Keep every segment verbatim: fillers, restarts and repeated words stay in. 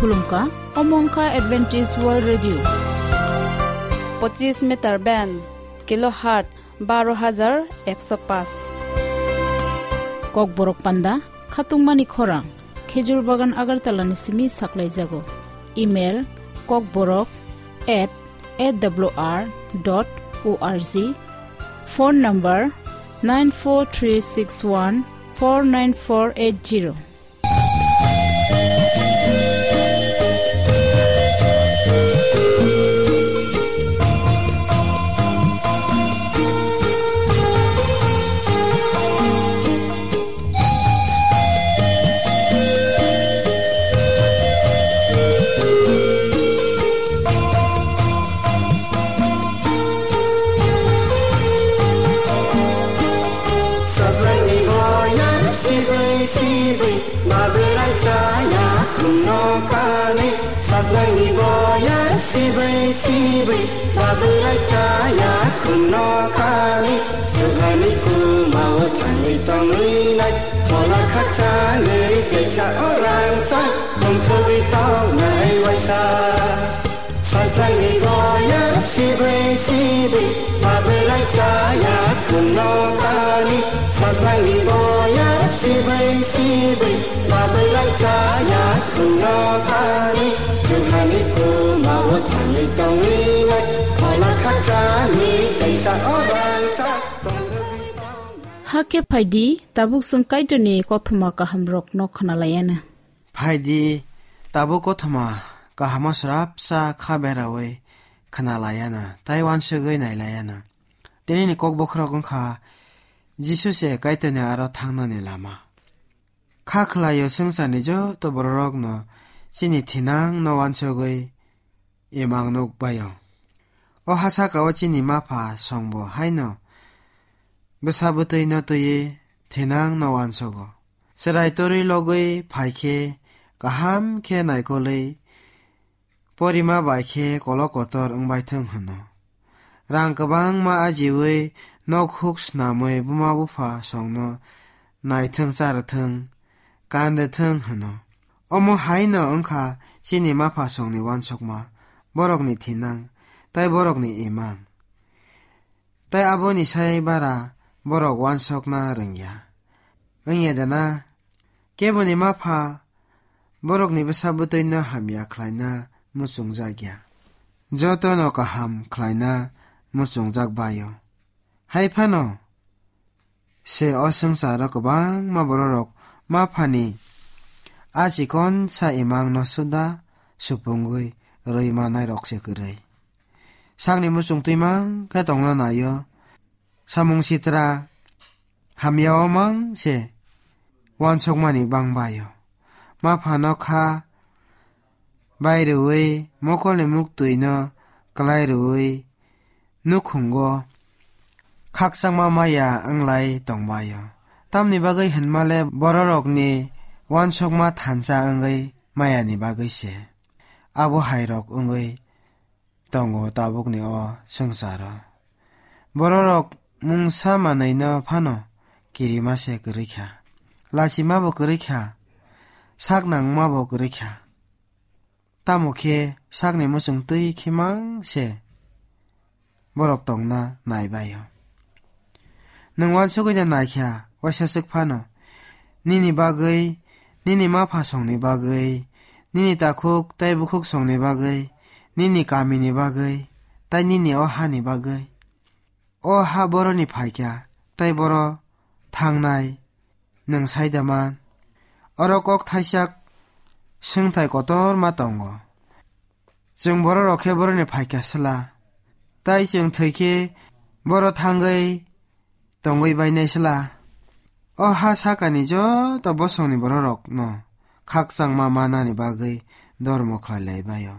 Khulumkha, omo wngkha Adventist World Radio. Pochis meter band, kilohertz baro hajar ekso paanch. Kokborok panda, khatungmani khorang, Khejur Bagan Agartala ni simi saklaijago. Email, kokborok at A W R dot O R G. Phone number, nine four three six one four nine four eight zero. Sajlangni boyar sibwi sibwi, babwrai chaya khumno kali. Sajlangni boyar sibwi sibwi, babwrai chaya khumno kali. Juhani kumao thangwi tongwi nai, phola khakchangwi teisa orang cha, tongthogwi tongnai waisa. Sajlangni boyar sibwi sibwi, babwrai chaya khumno kali. Sajlangni boyar sibwi sibwi, babwrai chaya khumno kali. Juhani kumao thangwi tongwi nai, phola khakchangwi teisa orang cha. Hakhe phaidi, tabuk chwng Kaitorni kothoma kahamrokno khwnalaiana. Phaidi, tabuk kothoma kahamo srapsa kha berawi khwnalaiana, tai wansugwi nailaiana. Tinini kok bokhorok wngkha Jisu se Kaitorni aro thangnani lama. Kha khlaio swngcharni joto bororokno chini thinangno wansugwi imang nukbaio. O ha sakao chini mapha songbo haino bwsa bwtwino twiwi thinangno wansugo. Chwrai torwi logwi phaikhe kaham khe naikolwi porima bai khe kolok kotor wngbaithwng hwno. Rang kwbangma ajiwi nok huk snamwi buma bupha songno naithwng charwthwng, kanrwthwng hwno. Omo haino wngkha chini mapha songni wansukma, borokni thinang, tai borokni imang. Tai aboni sai bara borok wansokna rwngya. Wngya dana? Keboni mapha borokni bwsa bwtwino hamya khlaina muchungjakya. Jotono kaham khlaina muchungjak baio. Hai phano se o swngcharo kwbangma bororok maphani a chikonsa imangno suda supungwi rwi manairok se kwrwi. Sakni muchung twimang khe tongna naio. Samung sitra hamyao mang se wansokmani bangbaio. Maphano kha bai rwui, mokolni muktwino klai rwui, nukhungo khakchangma maya wnglai tongbaio. Tamni bagwi hinmale bororokni wansokma thansa wngwi mayani bagwi se. Abo hairok wngwi tongo tabukni o swngcharo. Bororok mungsa manwino phano kirima se kwrwi kha, lachima bo kwrwi kha, sak nangma bo kwrwi kha. Tamo khe sakni muchung twi khe mang se borok tongna naibaio. Nwng wansugwi da naikha, waisa swk phano, nini bagwi, nini mapha songni bagwi, nini takhuk tai bukhuk songni bagwi, nini kamini bagwi, tai nini o hani bagwi. O ha boroni phaikha, tai boro thangnai, nwng sai da man? Oro kok thaisak swngthai kotorma tongo. Chwng bororok khe boroni phaikha sla, tai chwng thwi khe boro thangwi tongwi bainai sla. O ha sakani joto bosongni bororokno khakchangma manani bagwi dormo khlai lai baio.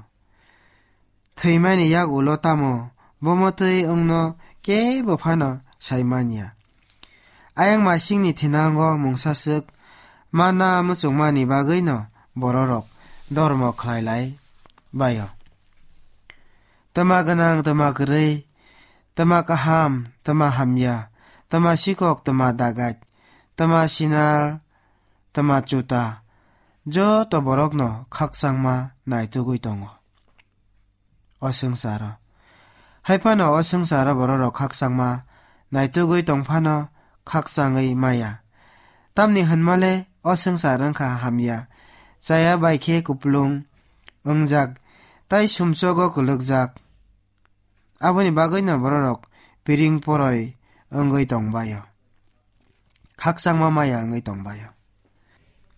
Thwimani yak ulo tamo bomo twi wngno kebo phano sai manya. Ayang masingni thinango mungsa swk mana muchungmani bagwino bororok dormo khlai lai baio. Twma gwnang, twma kwrwi, twma kaham, twma hamya, twma sikok, twma dagait, twma sinal, twma chuta, joto borokno khakchangma naitugwi tongo o swngcharo. Hai phano o swngcharo bororok khakchangma naitugwi tong phano khakchangwi maya. Tamni hwnmale o swngchar wngkha hamya, chaya bai khe kupulung wngjak, tai sumsogo kwlwkjak. Aboni bagwino bororok piring poroi wngwi tongbaio, khakchangma maya wngwi tongbaio.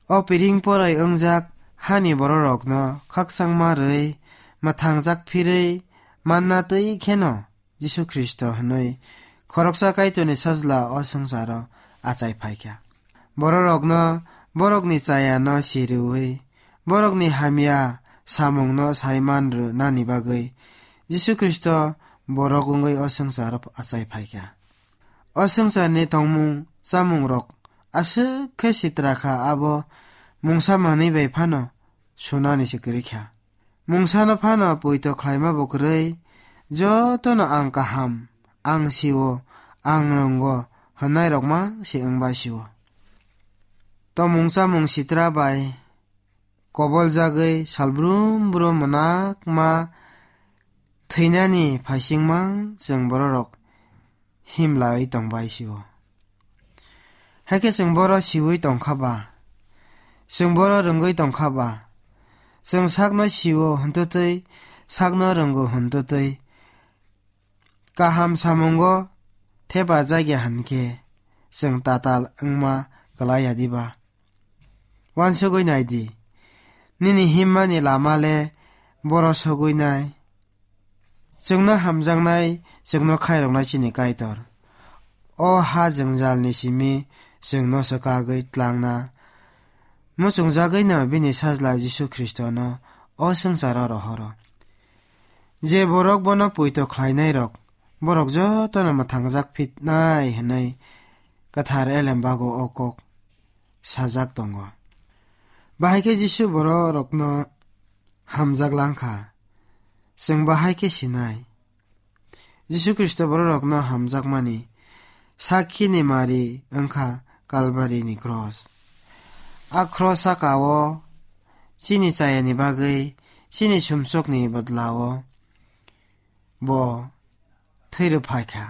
O piring poroi wngjak hani bororokno khakchangma rwi, mwthangjak phirwi manna twi kheno Jisu Khristo hwnwi khoroksa Kaitorni Sajla o swngcharo achai phaikha. Bororokno borokni chayano siriui, borokni hamya samungno saiman rwnani bagwi Jisu Khristo borok wngwi o swngcharo achai phaikha. O swngcharni tongmung chamungrok aswk khe sitra kha, abo mungsa manwi bai phano sunani se kwrwi kha. Mungsano phano poito khlaima bo kwrwi, jotono ang kaham, ang sio, ang rwngo hwnnairok mang se wngbai sio. Tomung chamung sitra bai koboljagwi salbrum brum mwnakma thwinani phaisingmang chwng bororok himlaiwi tongbai sio. Hakhe chwng boro siui tongkha ba, chwng boro rwngwi tongkha ba, chwng sakno sio hwntwtwi, sakno rwngo hwntwtwi, kaham samungo thepa jakya hwnkhe chwng tatal wngma kwlaiya diba? Uansugwi nai di, nini himmani lama le boro sogwi nai. Chwngno hamjaknai, chwngno khairoknai chini Kaitor. O ha jwngjalni simi chwngno swkagwi tlangna muchungjagwino bini Sajla Jisu Khristono o swngcharo rohoro. Je borok bono poito khlainairok, borok jotono mwthangjak phitnai hwnwi Kwthar Elem bago o kok sajak tongo. Bahai khe Jisu bororokno hamjak langkha. Chwng bahai khe sinai. Jisu Khristo bororokno hamjakmani sakhini mari wngkha Kalbarini cross. A cross saka-o chini chayani bagwi, chini sumsokni bodlao bo thwi rwphaikha.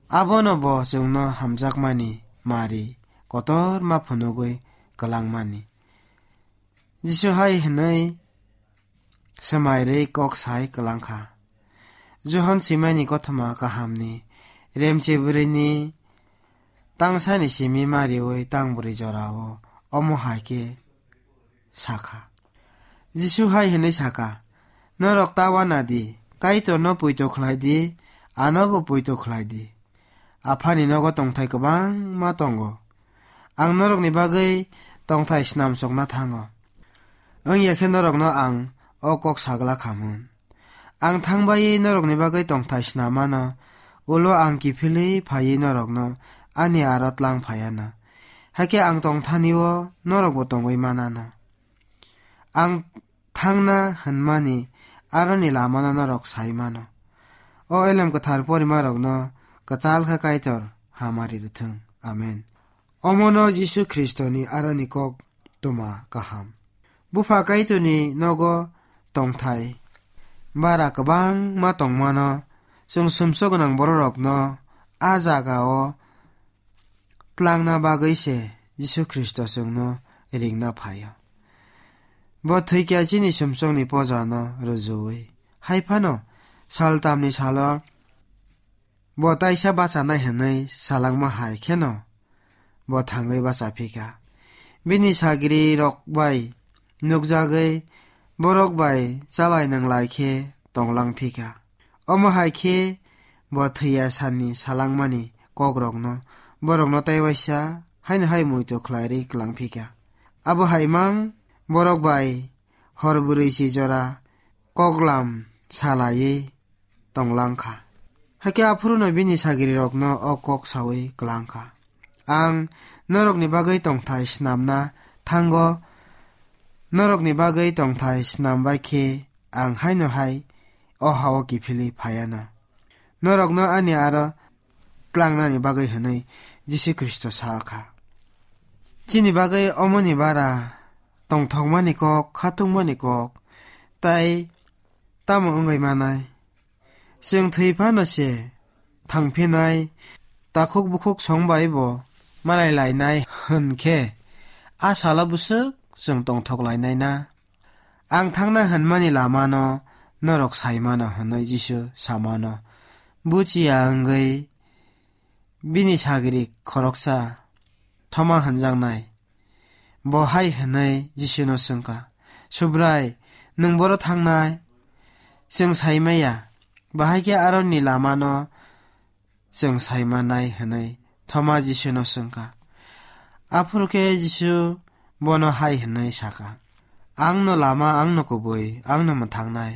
Abono bo chwngno hamjakmani mari kotorma phunugwi kwlangmani. Jisu hai hwnwi swmairwi kok sai kwlangkha. Johon swimani kothoma kahamni remche bwrwini tangsani simi mariui tang bwrwi jorao omo hai khe sakha. Jisu hai hwnwi sakha, "Norok ta uana di, Kaitorno poito khlai di, anobo poito khlai di. Aphani nogo tongthai kwbangma tongo. Ang norokni bagwi tongthai snamsokna thango. Wngya khe norokno ang o kok sagla khamun. Ang thangbaiwi norokni bagwi tongthai snam mano, ulo ang kiphilwi phaiwi norokno ani aro tlang phai anw. Hakhe ang tongthani-o norokbo tongwi man anw. Ang thangna hwnmani aroni lamano norok sai mano." O Elem Kwthar porimarokno kwtal khe Kaitor hamari rwthwng. Amen. Omono Jisu Khristoni aroni kok tuma kaham. Bupha Kaitorni nogo tongthai bara kwbangma tongmano, chwng sumsok gwnang bororokno a jagao tlangna bagwi se Jisu Khristo chwngno ringna phaio. Bo thwikya chini sumsokni pojano rwjui. Hai phano saltamni salo bo taisa bachanai hwnwi salangma hai kheno bo thangwi bacha phikha. Bini sagrirok bai nukjagwi borok bai chalai nanglai khe tonglang phikha. Omo hai khe bo thwiya sani salangmani kokrokno borokno tei waisa haino hai muitu khlairwi kwlang phikha. Abo hai mang borok bai hor bwrwi si jora koklam salaiwi tonglang kha. Hakhe aphuruno bini sagrirokno o kok saui kwlang kha, "Ang norokni bagwi tongthai snamna thango, norokni bagwi tongthai snam bai khe ang haino hai o ha-o kiphilwi phai anw. Norokno ani aro tlangnani bagwi," hwnwi Jisu Khristo sa kha. Chini bagwi omoni bara tongthokmani kok, khatungmani kok, tai tamo wngwi manai? Chwng thwi phano se thangphinai, takhuk bukhuk song bai bo malai lainai hwn khe, a salo bwswk chwng tongthok lainai na? Ang thangna hwnmani lamano norok sai mano, hwnwi Jisu sa mano. Buchiya wngwi bini sagri khoroksa Thoma hwnjaknai, bo hai hwnwi Jisuno swngkha, "Subrai, nwng boro thangnai? Chwng sai maya, bahai khe aroni lamano chwng sai manai," hwnwi Thoma Jisuno swngkha. Aphuru khe Jisu bono hai hwnwi sakha, "Ang no lama, ang no kubui, ang no mwthangnai.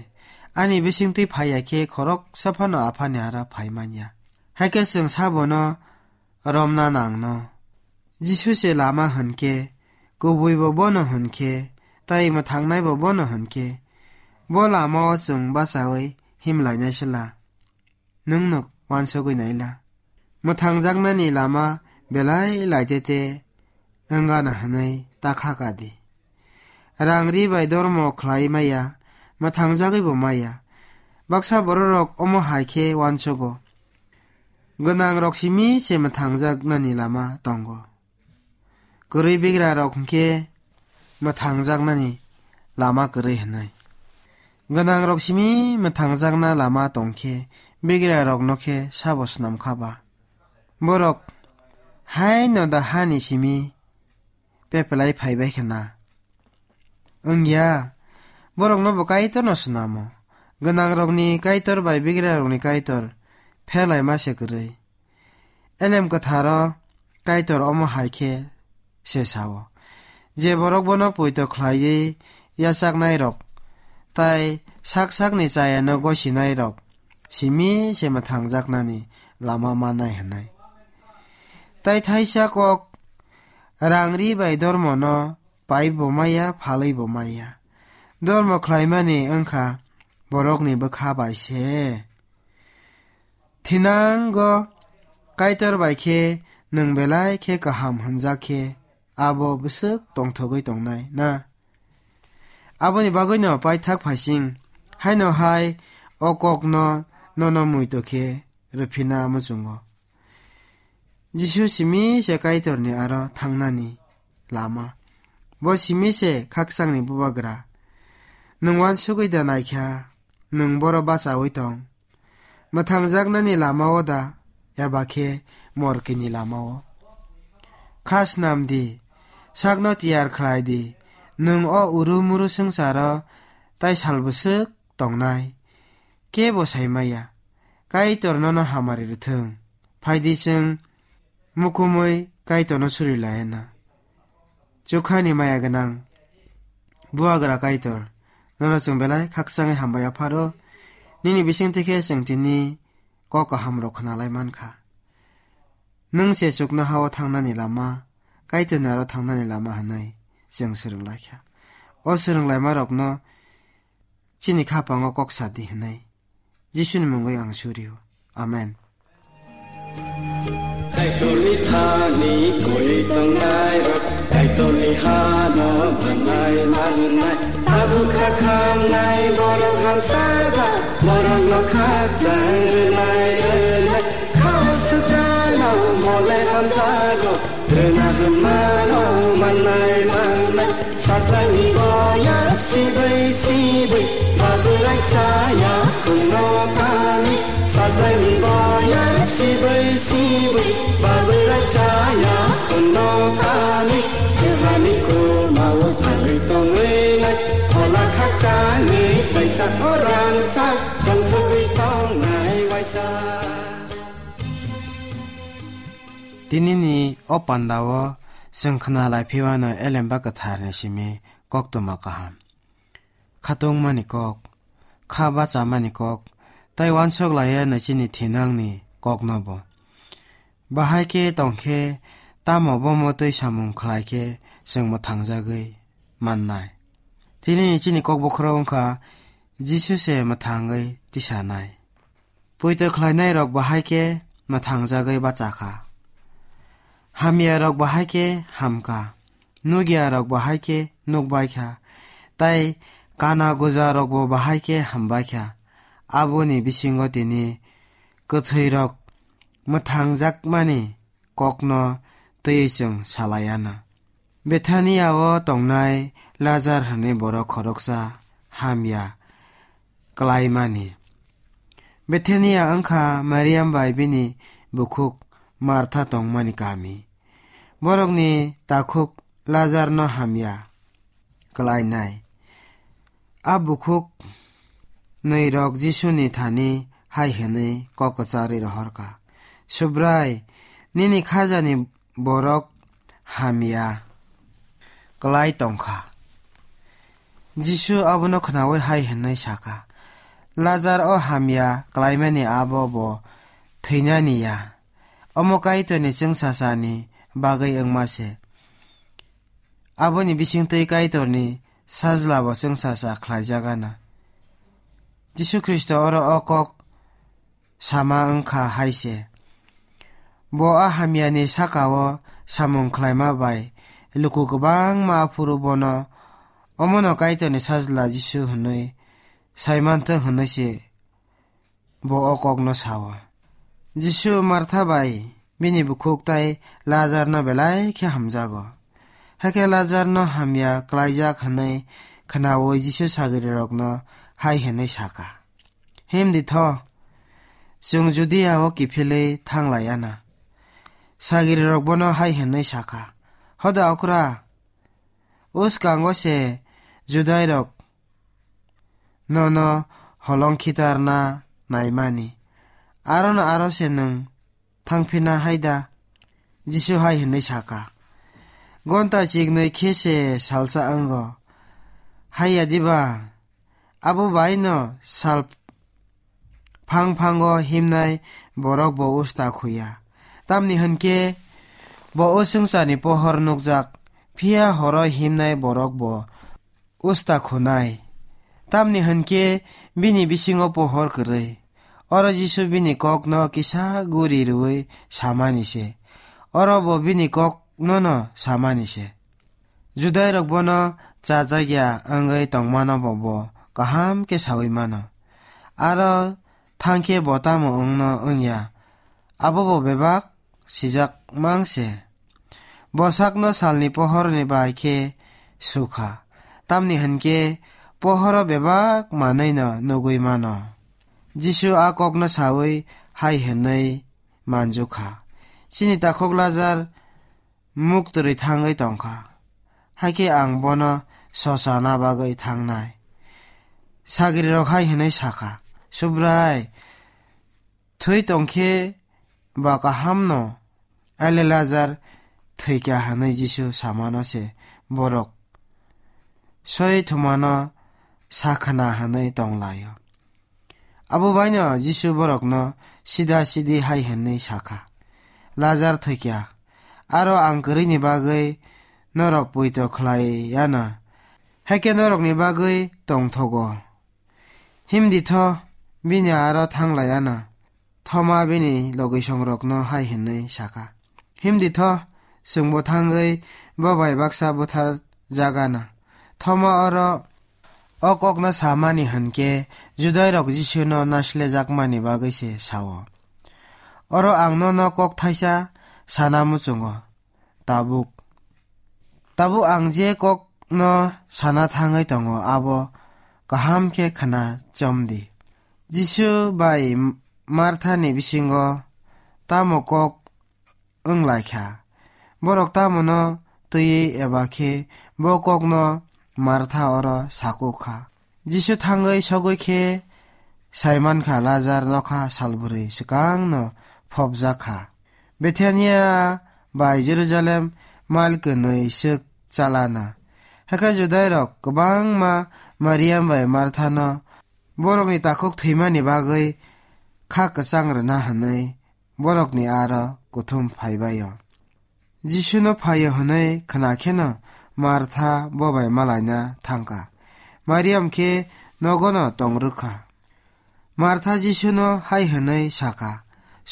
Ani bisingtwi phaiya khe khoroksa phano Aphani aro phai manya. Hai khe chwng sabono romna nangno. Jisu se lama hwn khe, kubui bo bono hwn khe, tai mwthangnai bo bono hwn khe, bo lama o chwng bachaui him lainai sela. Nwng no uansugui naila. Mwthangjaknani lama belai laitete wngana hwnwi ta kha ka di. Rang ri bai dormo khlai maya, mwthangjagwi bo maya. Baksa bororok omo hai khe uansugo. Gwnangrok simi se mwthangjaknani lama tongo. Kwrwi bigrarok hwnkhe mwthangjaknani lama kwrwi hwnwi. Gwnangrok simi mwthangjakna lama tongkhe bigrarokno khe sabo snam kha ba? Borok haino da hani simi pepelai phaibai khe na? Wngya, borokno bo Kaitorno snamo. Gwnangrokni Kaitor bai bigrarokni Kaitor pherlaima se kwrwi. Elem Kwtharo Kaitor omo hai khe se sao, "Je borok bono poito khlaiwi yachaknairok tai sak sakni chayano gosinairok simi se mwthangjaknani lama mannai," hwnwi. Tai thaisa kok, rang ri bai dormono pai bo maya, phalwi bo maya. Dormo khlaimani wngkha borokni bwkha bai se. Thinango Kaitor bai khe nwng belai khe kaham hwnjak khe, abo bwswk tongthogwi tongnai na? Aboni bagwino paithak phaising haino hai o kokno nono muito khe rwphina muchungo. Jisu simi se Kaitorni aro thangnani lama. Bo simi se khakchangni bubagra. Nwng uansugwi da naikha, nwng boro bachaui tong. Mwthangjaknani lama-o da, eba khe morkini lama-o? Kha snam di, sakno tiyar khlai di, nwng o uru muru swngcharo tai sal bwswk tongnai, kebo sai maya. Kaitor nono hamari rwthwng. Phai di, chwng mukumui Kaitorno suri laiya na. Chukhani maya gwnang bubagra Kaitor, nono chwng belai khakchangwi hambai apharo. Nini bisingtwi khe chwng tini kok kahamrok khna lai man kha. Nwng se chuknoha-o thangnani lama, Kaitorni aro thangnani lama hwnwi chwng swrwng lai kha. O swrwng laimarokno chini khapango kok sa di hwnwi Jisuni mungwi ang suri-o. Amen. Kaitorni thani koi tongnai rok, Kaitorni hano manai manai. Tabuk kha khamnai borok hamsajak, borok no khakchang rwnai rwnai. Kha sujano mole hamjago, rwna hwnmano manai manai. Sajlani boyar sibui sibui, babrai chaya khungno kami. Sajlani boyar sibui sibui, babrai chaya khungno kami. Jehani kumao thangwi tongwi lai, phola khakchangwi kaisa orang sa, tongthogwi tongnai waisa. Tinini o pandao chwng khna lai phiwano Elemba Kwtharni simi koktwma kaham. Khatungmani kok, kha bachamani kok, tai uansuk laiya naichini thinangni koknobo. Bahai khe tongkhe tamo bomo twi samung khlai khe chwng mwthangjagwi mannai. Tinini chini kok bokhorok wngkha Jisu se mwthangwi tisanai. Poito khlainairok bahai khe mwthangjagwi bachakha. Hamyarok bahai khe hamkha. Nukyarok bahai khe nukbaikha, tei kana gujarokbo bahai khe hambaikha. Aboni bisingo tini kwthwirok mwthangjakmani kokno twiwi chwng salai anw. Bethania-o tongnai Lazar hwnwi borok khoroksa hamya klaimani. Bethania wngkha Mariam bai bini bukhuk Martha tongmani kami. Borokni takhuk Lazarno hamya klainai. A bukhuk nwi rok Jisuni thani hai hwnwi kok kwcharwi rohorkha, "Subrai, nini khajani borok hamya klai tongkha." Jisu abono khnaui hai hwnwi sakha, "Lazar o hamya klaimani abo bo thwinani ya, omo Kaitorni chwngsasani bagwi wngma se. Aboni bisingtwi Kaitorni Sajla bo chwngsasa khlaijak anw." Jisu Khristo oro o kok sama wngkha hai se. Bo a hamyani saka-o samung khlaima bai luku kwbangma aphuru bono omono Kaitorni Sajla Jisu hwnwi sai manthwk hwnwi se bo o kokno sao. Jisu Martha bai bini bukhuk tei Lazarno belai khe hamjago. Hakhe Lazarno hamya klaijak hwnwi khnaui Jisu sagrirokno hai hwnwi sakha, "Himdi tho, chwng Judia-o kiphilwi thanglai anw." Sagrirok bono hai hwnwi sakha, "Hoda okra, uskango se Judairok nono holong khitarna naimani, arono aro se nwng thangphina hai da?" Jisu hai hwnwi sakha, "Gonta chiknwi khe se salsa wngo, hai ya diba? Abo bai'-no sal phang phango himnai borok bo usta khuya. Tamni hwn khe bo o swngcharni pohor nukjak, phiya horo himnai borok bo usta khunai. Tamni hwn khe bini bisingo pohor kwrwi." Oro Jisu bini kokno kisa guri rwui samani se. Oro bo bini kokno'-no samani se. Judairok bono chajakya wngwi tongmano bo, bo kaham khe saui mano. Aro thang khe bo tamo wngno wngya, abo bo bebak sijak mang se. Bo sakno salni pohorni bai khe sukha, tamni hwn khe pohoro bebak manwi'-no nugui mano. Jisu a kokno saui hai hwnwi manjukha, "Chini takhuk Lazar muk twrwi thangwi tongkha, hakhe ang bono sosana bagwi thangnai." Sagrirok hai hwnwi sakha, "Subrai, thwi tong khe ba kaham'-no, Eleazar thwikha hwnwi Jisu samano se borok soi thumano sakhna hwnwi tonglaio." Abo baino Jisu borokno sida sidi hai hwnwi sakha, "Lazar thwikha, aro ang kwrwini bagwi norok poito khlai anw, hakhe norokni bagwi tongthogo. Himdi tho, bini aro thanglai anw." Thoma bini logisongrokno hai hwnwi sakha, "Himdi tho, chwngbo thangwi bo bai baksa buthar jak anw." Thoma oro o kokno samani hwn khe Judairok Jisuno naislejakmani bagwi se sao, "Oro ang nono kok thaisa sana muchungo, tabuk, tabuk ang je kokno sana thangwi tongo, abo kaham khe khna chom di." Jisu bai Marthani bisingo tamo kok wng lai kha? Borok tamono twiwi eba khe bo kokno Martha oro sakuk kha. Jisu thangwi sogwi khe sai man kha Lazar nokha salbwrwi swkangno phobjak kha. Bethania bai Jerusalem mail kwnwi swk chalana. Hakhe Judairok kwbangma Mariam bai Marthano borokni takhuk thwimani bagwi kha kwchang rwna hwnwi borokni aro kuthum phaibai-o. Jisuno phaio hwnwi khna kheno Martha bo bai malaina thangkha. Mariam khe nogono tong rwkha. Martha Jisuno hai hwnwi sakha,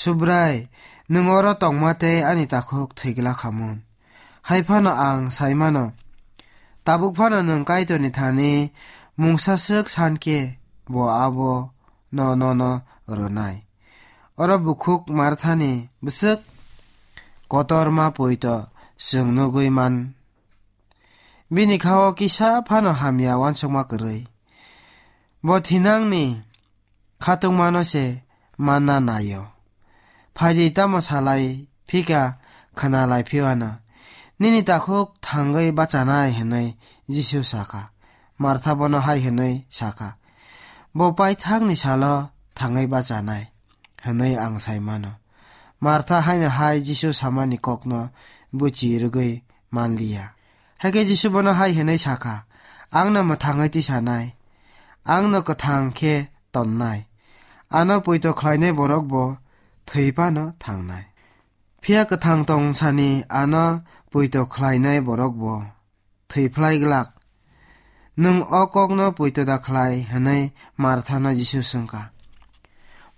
"Subrai, nwng oro tongma tei ani takhuk thwigla khamun. Hai phano ang sai mano, Tabuk phano nwng Kaitorni thani mungsa swk san khe bo abono nono rwnai. Oro bukhuk Marthani bwswk kotorma poito chwng nugwi man. Bini kha-o kisa phano hamya uansukma kwrwi. Bo thinangni khatungmano se manna nai-o. Phaidi tamo salai phika khwnalai phiwano. Nini takhuk thangwi bachanai hwnwi Jisu sakha. Martha bono hai hwnwi sakha, bo paithakni salo thangwi bachanai hwnwi ang sai mano. Martha haino hai Jisu samani kokno buchi rwgwi manliya. Hakhe Jisu bono hai hwnwi sakha, "Angno mwthangwi tisanai, angno kwthang khe tonnai, ano poito khlainai borok bo thwi phano thangnai. Phiya kwthang tongsani ano poito khlainai borok bo thwi phlai glak. Nwng o kokno poito da khlai?" hwnwi Marthano Jisu swngkha.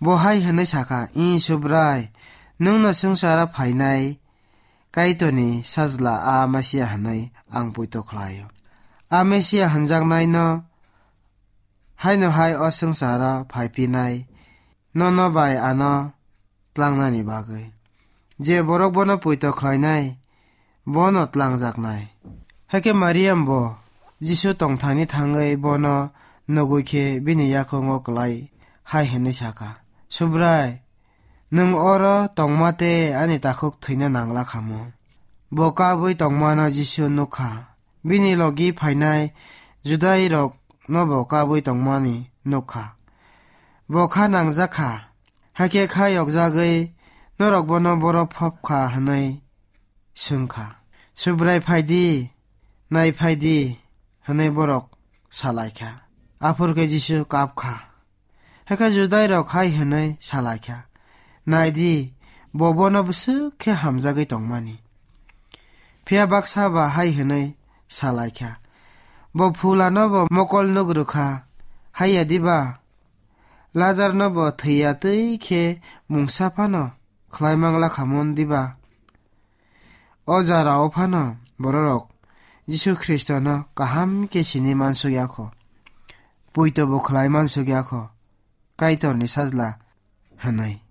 Bo hai hwnwi sakha, "Ih, Subrai, nwngno swngcharo phainai Kaitorni Sajla a Mesia hwnwi ang poito khlai-o. A Mesia hwnjaknaino haino hai o swngcharo phaiphinai nono bai ano tlangnani bagwi. Je borok bono poito khlainai, bono tlangjaknai." Hakhe Mariam bo Jisu tongthani thangwi bono nugwi khe bini yakungo kwlai hai hwnwi sakha, "Subrai, nwng oro tongma tei ani takhuk thwina nangla khamu." Bo kabwi tongmano Jisu nukha. Bini logi phainai Judairokno bo kabwi tongmani nukha. Bo kha nangjakha. Hakhe kha yokjagwi norok bono boro phopkha hwnwi swngkha. "Subrai, phaidi, nai phaidi," hwnwi borok salaikha. Aphuru khe Jisu kapkha. Hakhe Judairok hai hwnwi salaikha, "Naidi, bo bono bwswk khe hamjagwi tongmani." Phiya baksa ba hai hwnwi salaikha, "Bo phulano bo mokol nuk rwkha, haiya diba? Lazarno bo thwiya twi khe mungsa phano khlai mangla khamon diba?" O jora o phano bororok Jisu Khristono kaham khe sini mansuk ya kho, poito bo khlai mansuk ya kho, Kaitorni Sajla hwnwi.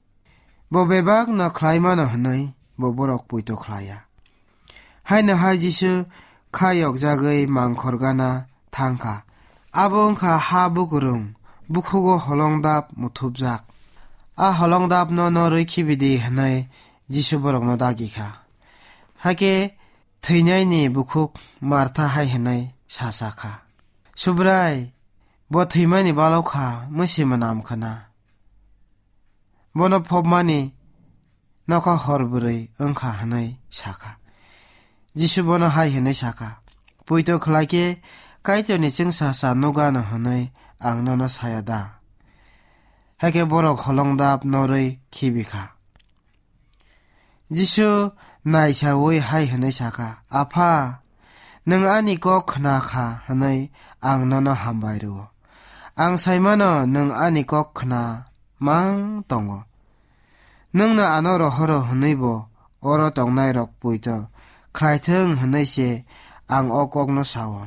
Bo bebakno khlai mano hwnwi bo borok poito khlai ya. Haino hai Jisu kha yokjagwi mangkhor gana thang kha. Abo wng kha ha bukurung, bukhugo holongdap muthupjak. A holongdapno norwi khibidi hwnwi Jisu borokno dagi kha. Hakhe thwinaini bukhuk Martha hai hwnwi sa sa kha, "Subrai, bo thwimani balok kha, mwsima nam khna. Bono phopmani nokha hor bwrwi wng kha," hwnwi sa kha. Jisu bono hai hwnwi sa kha, "Poito khlai khe Kaitorni chwngsacha nukgano hwnwi ang nono saya da?" Hakhe borok holongdap norwi khibi kha. Jisu naisaui hai hwnwi sa kha, "Apha, nwng ani kok khna kha hwnwi ang nono hambai rw-o. Ang sai mano nwng ani kok khna mang tongo. Nwngno ano rohoro hwnwi bo oro tongnairok poito khlai thung hwnwi se ang o kokno sa-o."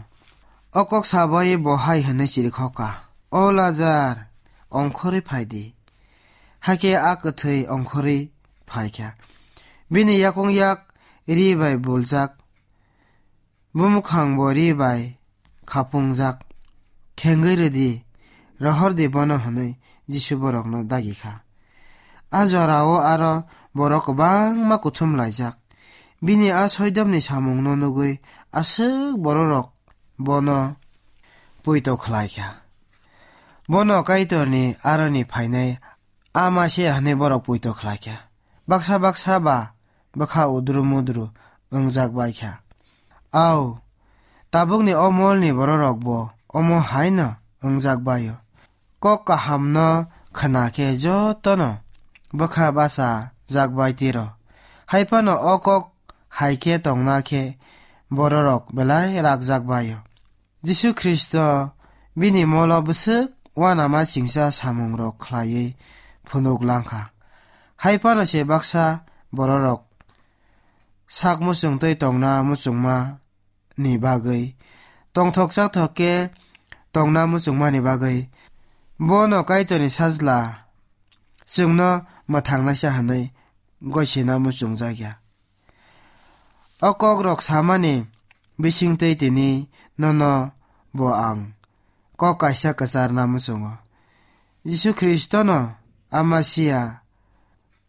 O kok sabai bo hai hwnwi chirikhok kha, "O Lazar, ongkhorwi phai di." Hakhe a kwthwi ongkhorwi phai kha. Bini yakung yak ri bai buljak, bumukhang bo ri bai khapungjak. "Khengwi rw di, rohor di bono," hwnwi Jisu borokno dagi kha. A jora-o aro borok kwbangma kuthum laijak. Bini a soidomni samungno nugwi aswk bororok bono poito khlai kha. Bono Kaitorni aroni phainai ama se hwnwi borok poito khlai kha. Baksa baksa ba bwkha udru mudru wngjak bai kha. Au, tabukni o molni bororok bo omo hai no wngjak bai-o. Kok kahamno khna khe jotono bwkha bacha jak bai tiro. Hai phano o kok hai khe tongna khe bororok belai rakjak bai-o. Jisu Khristo bini molo bwswk uanama singcha samungrok khlaiwi phunuk lang kha. Hai phano se baksa bororok sak muchungtwi tongna muchungma ni bagwi tongthok chathok khe tongna muchungmani bagwi bono Kaitorni Sajla chwngno mwthangnaisa hwnwi goisina muchungjak ya. O kokrok samani bisingtwi tini nono bo ang kok kaisa kwcharna muchungo. Jisu Khristono Ama sia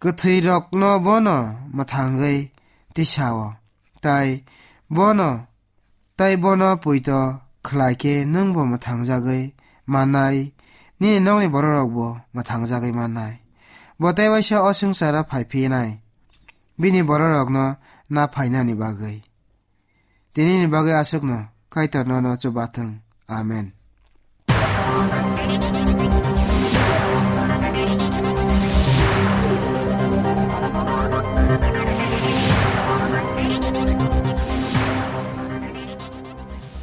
kwthwirokno bono mwthangwi tisao, tai bono, tai bono poito khlai khe nwngbo mwthangjagwi mannai, nini nokni bororokbo mwthangjagwi mannai. Bo tei waisa o swngcharo phai phinai, bini bororokno na phainani bagwi. Tinini bagwi aswkno Kaitor nono chubathwng. Amen.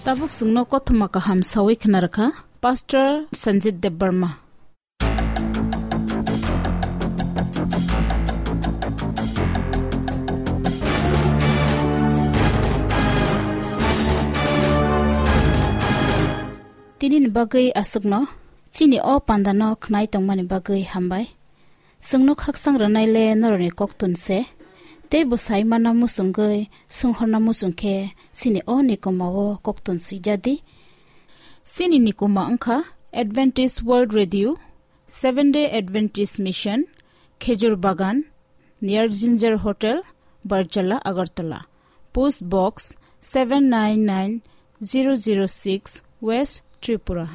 Tabuk chwngno kothoma kaham sawi khna rwkha Pastor Sanjit Debbarma. Tinini bagwi aswkno chini o pandano khnai tongmani bagwi hambai. Chwngno khakchang rwnaile norokni koktun se, tei bo sai manna muchungwi, swnghorna muchung khe chini o nikomao koktun swijadi. Chini nikoma wngkha Adventist World Radio, Seventh Day Adventist Mission, Khejur Bagan, near Ginger Hotel, Barjala, Agartala. Post Box seven nine nine zero zero six, West Tripura.